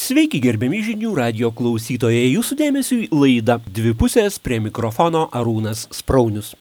Sveiki gerbiami žinių radijo klausytojai, jūsų dėmesiui laida Dvi pusės, prie mikrofono Arūnas Spraunius.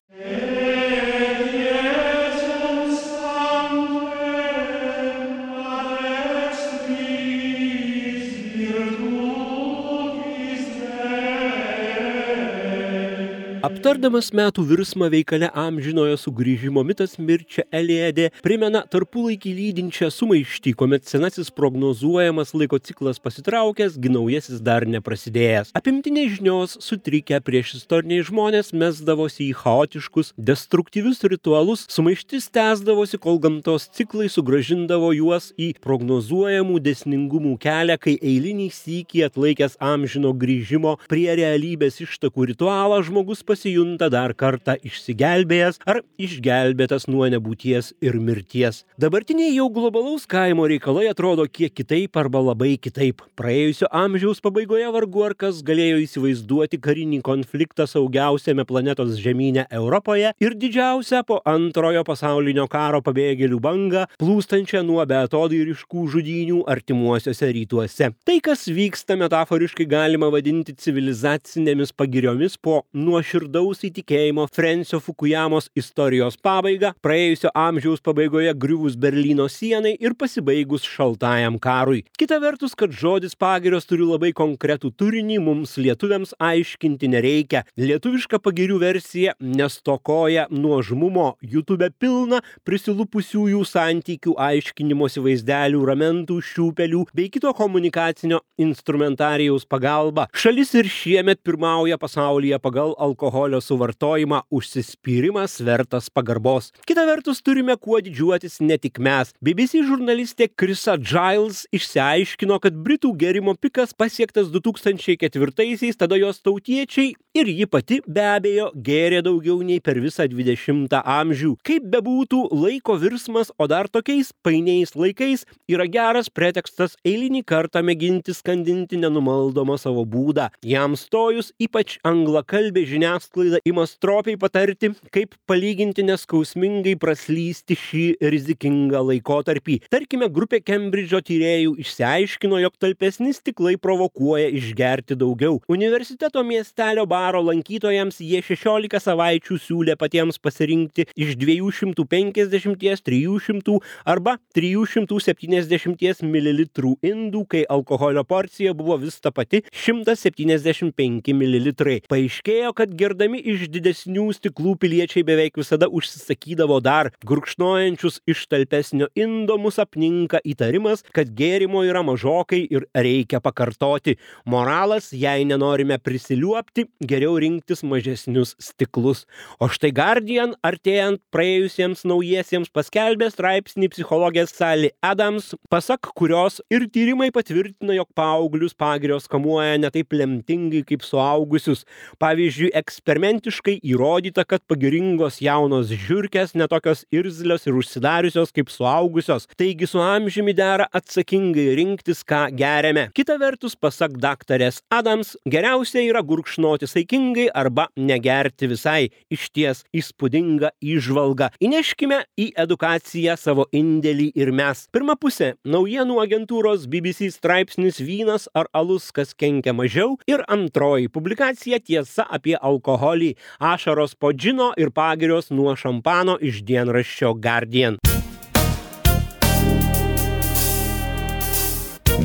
Aptardamas metų virsmą veikale Amžinojo sugrįžimo mitas Mirčia Eliade primena tarpulaikį lydinčią sumaištį, kuomet senasis prognozuojamas laiko ciklas pasitraukęs, gi naujasis dar neprasidėjęs. Apimti nežinios, sutrikę priešistoriniai žmonės mesdavosi į chaotiškus, destruktyvius ritualus, sumaištis tęsdavosi, kol gamtos ciklai sugrąžindavo juos į prognozuojamų dėsningumų kelią, kai eilinį sykį atlaikęs amžino grįžimo prie realybės ištakų ritualą žmogus pasijunta dar kartą išsigelbėjęs ar išgelbėtas nuo nebūties ir mirties. Dabartiniai jau globalaus kaimo reikalai atrodo kiek kitaip arba labai kitaip. Praėjusio amžiaus pabaigoje vargu ar kas galėjo įsivaizduoti karinį konfliktą saugiausiame planetos žemyne Europoje ir didžiausią po antrojo pasaulinio karo pabėgėlių bangą, plūstančią nuo beatodairiškų žudynių artimuosiuose rytuose. Tai, kas vyksta metaforiškai galima vadinti civilizacinėmis pagiriomis po nuoširdaus įtikėjimo Frensio Fukujamos istorijos pabaigą, praėjusio amžiaus pabaigoje griuvus Berlyno sienai ir pasibaigus šaltajam karui. Kita vertus, kad žodis pagirios turi labai konkretų turinį, mums lietuviams aiškinti nereikia. Lietuviška pagirių versija nestokoja nuožmumo, YouTube pilna prisilupusiųjų santykių aiškinimosi vaizdelių, ramentų, šiūpelių bei kito komunikacinio instrumentarijaus pagalba. Šalis ir šiemet pirmauja pasaulyje pagal alkoholio suvartojimą, užsispyrimas vertas pagarbos. Kita vertus, turime kuo didžiuotis ne tik mes. BBC žurnalistė Krisa Giles išsiaiškino, kad Britų gėrimo pikas pasiektas 2004-aisiais, tada jos tautiečiai ir ji pati be abejo gėrė daugiau nei per visą 20 amžių. Kaip bebūtų, laiko virsmas, o dar tokiais painiais laikais, yra geras pretekstas eilinį kartą mėginti skandinti nenumaldomą savo būdą. Jam stojus, ypač anglakalbė žiniasklaida ima stropiai patarti, kaip palyginti neskausmingai praslysti šį rizikingą laikotarpį. Tarkime, grupė Kembridžo tyrėjų išsiaiškino, jog talpesni stiklai provokuoja išgerti daugiau. Universiteto miestelio baro lankytojams jie 16 savaičių siūlė patiems pasirinkti iš 250, 300 arba 370 ml indų, kai alkoholio porcija buvo vis ta pati 175 ml. Paaiškėjo, kad gerdami iš didesnių stiklų piliečiai beveik visada užsisakydavo dar gurkšnojančius iš talpesnio indo, mus apninka įtarimas, kad gėrimo yra mažokai ir reikia pakartoti. Moralas, jei nenorime prisiliuopti, geriau rinktis mažesnius stiklus. O štai Guardian, artėjant praėjusiems naujiesiems, paskelbė straipsnį psichologės Sally Adams, pasak kurios ir tyrimai patvirtina, jog paauglius pagirios kamuoja ne taip lemtingai kaip suaugusius. Pavyzdžiui, eksperimentiškai įrodyta, kad pagiringos jaunos žiurkės netokios irzlios ir užsidariusios kaip suaugusios. Taigi su amžiumi dera atsakingai rinktis, ką geriame. Kita vertus, pasak daktarės Adams, geriausia yra gurkšnoti saikingai arba negerti visai. Išties įspūdinga įžvalga. Įneškime į edukaciją savo indėlį ir mes. Pirma pusė – naujienų agentūros BBC straipsnis Vynas ar alus, kas kenkia mažiau, ir antroji publikacija Tiesa apie alkoholį, ašaros po džino ir pagirios nuo šampano iš dienraščio Guardian.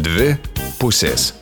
Dvi pusės.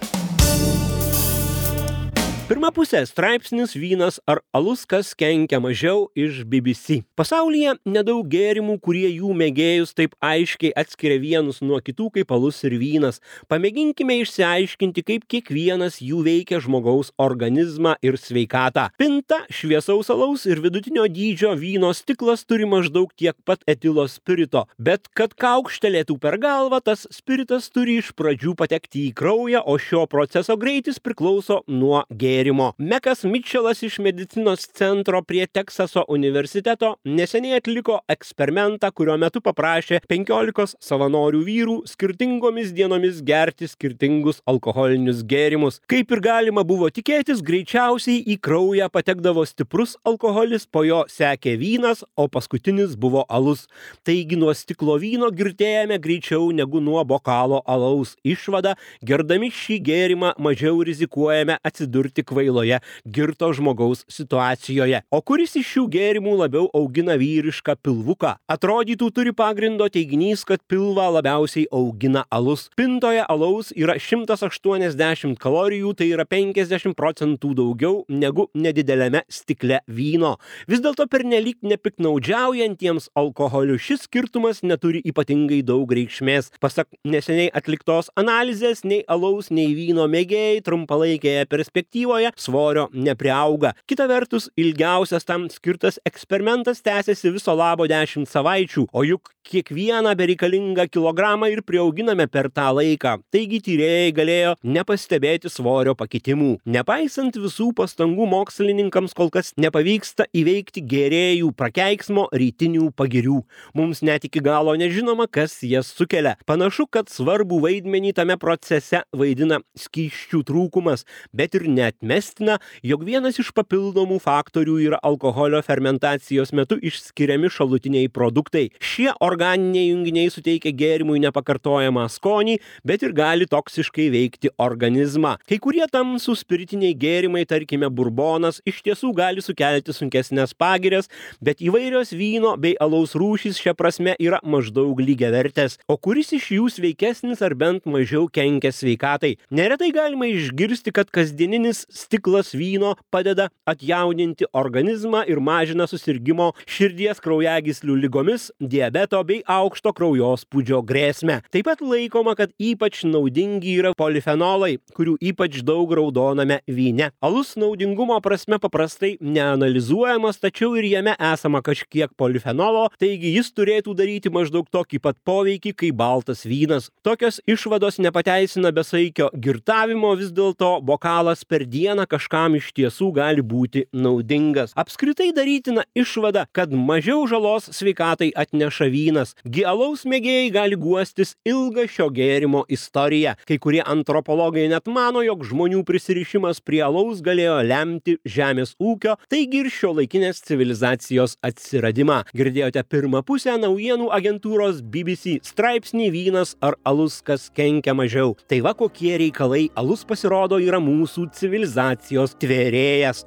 Pirma pusė – straipsnis Vynas ar alus, kas kenkia mažiau iš BBC. Pasaulyje nedaug gėrimų, kurie jų mėgėjus taip aiškiai atskiria vienus nuo kitų kaip alus ir vynas. Pamėginkime išsiaiškinti, kaip kiekvienas jų veikia žmogaus organizmą ir sveikatą. Pinta šviesaus alaus ir vidutinio dydžio vyno stiklas turi maždaug tiek pat etilo spirito, bet kad kaukštelėtų per galvą, tas spiritas turi iš pradžių patekti į kraują, o šio proceso greitis priklauso nuo gėrimo. gėrimo. Mekas Mitčelas iš medicinos centro prie Teksaso universiteto neseniai atliko eksperimentą, kurio metu paprašė 15 savanorių vyrų skirtingomis dienomis gerti skirtingus alkoholinius gėrimus. Kaip ir galima buvo tikėtis, greičiausiai į kraują patekdavo stiprus alkoholis, po jo sekė vynas, o paskutinis buvo alus. Taigi nuo stiklo vyno girtėjame greičiau negu nuo bokalo alaus. Išvada, gerdami šį gėrimą mažiau rizikuojame atsidurti kvailoje girto žmogaus situacijoje. O kuris iš šių gėrimų labiau augina vyrišką pilvuką? Atrodytų turi pagrindo teiginys, kad pilvą labiausiai augina alus. Pintoje alaus yra 180 kalorijų, tai yra 50% daugiau negu nedideliame stikle vyno. Vis dėlto pernelyg nepiknaudžiaujantiems alkoholiu šis skirtumas neturi ypatingai daug reikšmės. Pasak neseniai atliktos analizės, nei alaus, nei vyno mėgėjai trumpalaikėje perspektyvoje svorio nepriauga. Kita vertus, ilgiausias tam skirtas eksperimentas tęsiasi viso labo 10 savaičių, o juk kiekvieną bereikalingą kilogramą ir priauginame per tą laiką. Taigi tyrėjai galėjo nepastebėti svorio pakitimų. Nepaisant visų pastangų, mokslininkams kol kas nepavyksta įveikti gėrėjų prakeiksmo rytinių pagirių. Mums net iki galo nežinoma, kas jas sukelia. Panašu, kad svarbų vaidmenį tame procese vaidina skysčių trūkumas, bet ir neatmestina, jog vienas iš papildomų faktorių yra alkoholio fermentacijos metu išskiriami šalutiniai produktai. Šie organiniai junginiai suteikia gėrimui nepakartojamą skonį, bet ir gali toksiškai veikti organizmą. Kai kurie tamsūs spiritiniai gėrimai, tarkime burbonas, iš tiesų gali sukelti sunkesnės pagirias, bet įvairios vyno bei alaus rūšys šia prasme yra maždaug lygiavertės. O kuris iš jų sveikesnis ar bent mažiau kenkia sveikatai? Neretai galima išgirsti, kad kasdieninis stiklas vyno padeda atjauninti organizmą ir mažina susirgimo širdies kraujagyslių ligomis, diabeto bei aukšto kraujospūdžio grėsmę. Taip pat laikoma, kad ypač naudingi yra polifenolai, kurių ypač daug raudoname vyne. Alus naudingumo prasme paprastai neanalizuojamas, tačiau ir jame esama kažkiek polifenolo, taigi jis turėtų daryti maždaug tokį pat poveikį kaip baltas vynas. Tokios išvados nepateisina besaikio girtavimo, vis dėlto bokalas per dieną kažkam iš tiesų gali būti naudingas. Apskritai darytina išvada, kad mažiau žalos sveikatai atneša vynas. Gi alaus mėgėjai gali guostis ilgą šio gėrimo istoriją. Kai kurie antropologai net mano, jog žmonių prisirišimas prie alaus galėjo lemti žemės ūkio, taigi ir šiuolaikinės civilizacijos atsiradimą. Girdėjote pirmą pusę naujienų agentūros BBC straipsnį Vynas ar alus, kas kenkia mažiau. Tai va kokie reikalai, alus pasirodo yra mūsų civilizacijos tvėrėjas.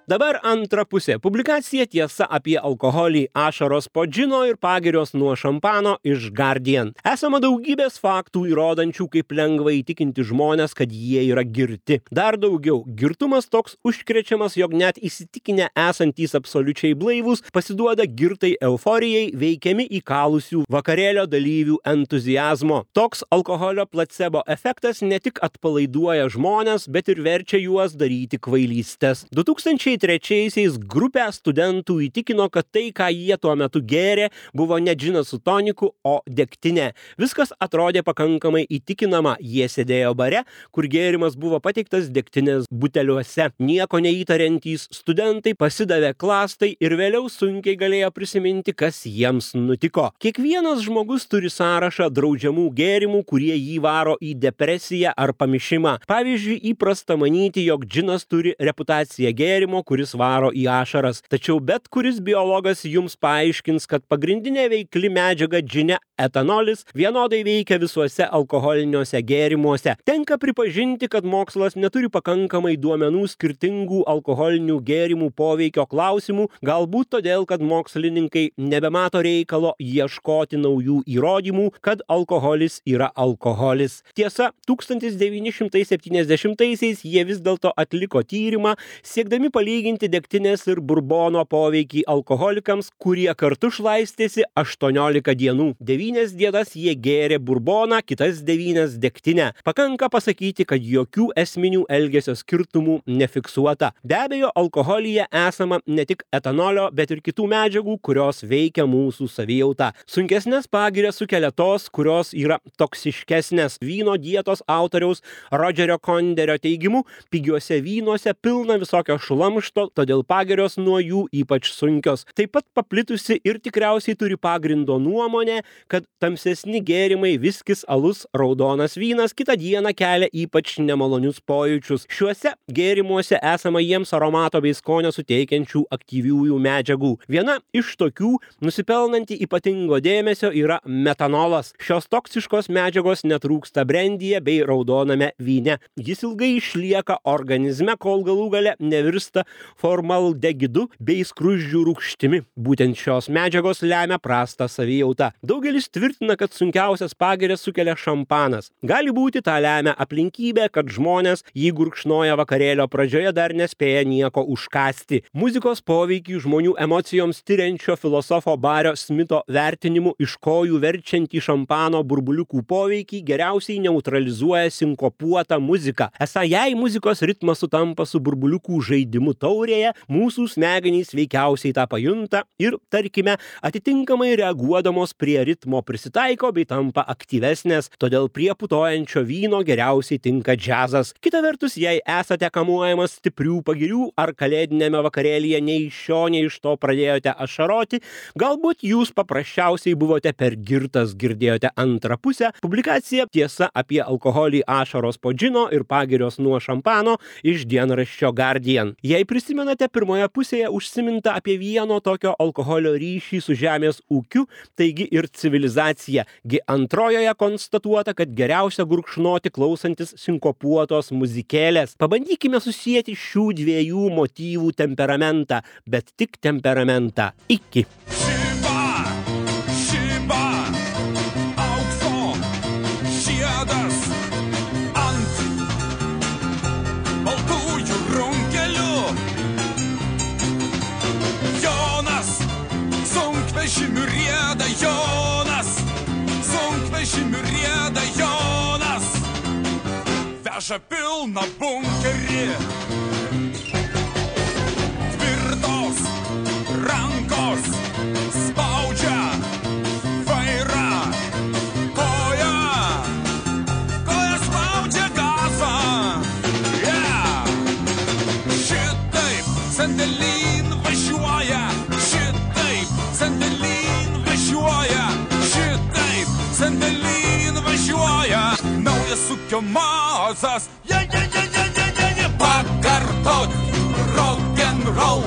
Dabar antra pusė. Publikacija Tiesa apie alkoholį, ašaros po džino ir pagirios nuo šampano iš Guardian. Esama daugybės faktų įrodančių, kaip lengva įtikinti žmonės, kad jie yra girti. Dar daugiau, girtumas toks užkrečiamas, jog net įsitikinę esantys absoliučiai blaivūs pasiduoda girtai euforijai, veikiami įkalusių vakarėlio dalyvių entuziazmo. Toks alkoholio placebo efektas ne tik atpalaiduoja žmones, bet ir verčia juos daryti kvailystes. 2009 2003-aisiais grupę studentų įtikino, kad tai, ką jie tuo metu gėrė, buvo ne džinas su toniku, o degtinė. Viskas atrodė pakankamai įtikinama. Jie sėdėjo bare, kur gėrimas buvo pateiktas degtinės buteliuose. Nieko neįtariantys studentai pasidavė klastai ir vėliau sunkiai galėjo prisiminti, kas jiems nutiko. Kiekvienas žmogus turi sąrašą draudžiamų gėrimų, kurie jį varo į depresiją ar pamišimą. Pavyzdžiui, įprasta manyti, jog džinas turi reputaciją gėrimo, kuris varo į ašaras. Tačiau bet kuris biologas jums paaiškins, kad pagrindinė veikli medžiaga džine, etanolis, vienodai veikia visuose alkoholiniuose gėrimuose. Tenka pripažinti, kad mokslas neturi pakankamai duomenų skirtingų alkoholinių gėrimų poveikio klausimų, galbūt todėl, kad mokslininkai nebemato reikalo ieškoti naujų įrodymų, kad alkoholis yra alkoholis. Tiesa, 1970-aisiais jie vis dėlto atliko tyrimą, siekdami palyginti degtinės ir burbono poveikį alkoholikams, kurie kartu šlaistėsi 18 dienų. 9 dienas jie gėrė burboną, kitas 9 degtinę. Pakanka pasakyti, kad jokių esminių elgesio skirtumų nefiksuota. Be abejo, alkoholyje esama ne tik etanolio, bet ir kitų medžiagų, kurios veikia mūsų savijautą. Sunkesnės pagirias sukelia tos, kurios yra toksiškesnės. Vyno dietos autoriaus Rodžerio Konderio teigimu, pigiuose vynuose pilna visokio šlamšto, todėl pagirios nuo jų ypač sunkios. Taip pat paplitusi ir tikriausiai turi pagrindo nuomonė, kad tamsesni gėrimai, viskis, alus, raudonas vynas kitą dieną kelia ypač nemalonius pojūčius. Šiuose gėrimuose esama jiems aromato bei skonio suteikiančių aktyviųjų medžiagų. Viena iš tokių, nusipelnanti ypatingo dėmesio, yra metanolas. Šios toksiškos medžiagos netrūksta brandyje bei raudoname vyne. Jis ilgai išlieka organizme, kol galų gale nevirsta formaldegidu bei skruzdžių rūgštimi. Būtent šios medžiagos lemia prastą savijautą. Daugelis tvirtina, kad sunkiausias pagirias sukelia šampanas. Gali būti tą lemia aplinkybė, kad žmonės jį gurkšnoja vakarėlio pradžioje dar nespėja nieko užkąsti. Muzikos poveikį žmonių emocijoms tiriančio filosofo Bario Smito vertinimu iš kojų verčiantį šampano burbuliukų poveikį geriausiai neutralizuoja sinkopuota muzika. Esą jei muzikos ritmas sutampa su burbuliukų žaidimu taurėje, mūsų smegenys veikiausiai tą pajunta ir, tarkime, atitinkamai reaguodamos prie ritmo prisitaiko bei tampa aktyvesnės, todėl prie putojančio vyno geriausiai tinka džiazas. Kita vertus, jei esate kamuojamas stiprių pagirių ar kalėdinėme vakarėlyje nei iš šio, nei iš to pradėjote ašaroti, galbūt jūs paprasčiausiai buvote per girtas, girdėjote antrą pusę. Publikacija Tiesa apie alkoholį, ašaros po džino ir pagirios nuo šampano iš dienraščio Guardian. Jei prisimenate, pirmoje pusėje užsiminta apie vieno tokio alkoholio ryšį su žemės ūkiu, taigi ir civilizacija. Gi antrojoje konstatuota, kad geriausia gurkšnoti klausantis sinkopuotos muzikėlės. Pabandykime susijęti šių dviejų motyvų temperamentą, bet tik temperamentą. Iki. Veža pilną bunkerį, tvirtos rankos spaudžia vairą, koja spaudžia gazą. Šitaip sandėlyn važiuoja, šitaip sandėlyn važiuoja, šitaip sandėlyn važiuoja. Naujas ūkio mazas, pakartot rock'n'roll,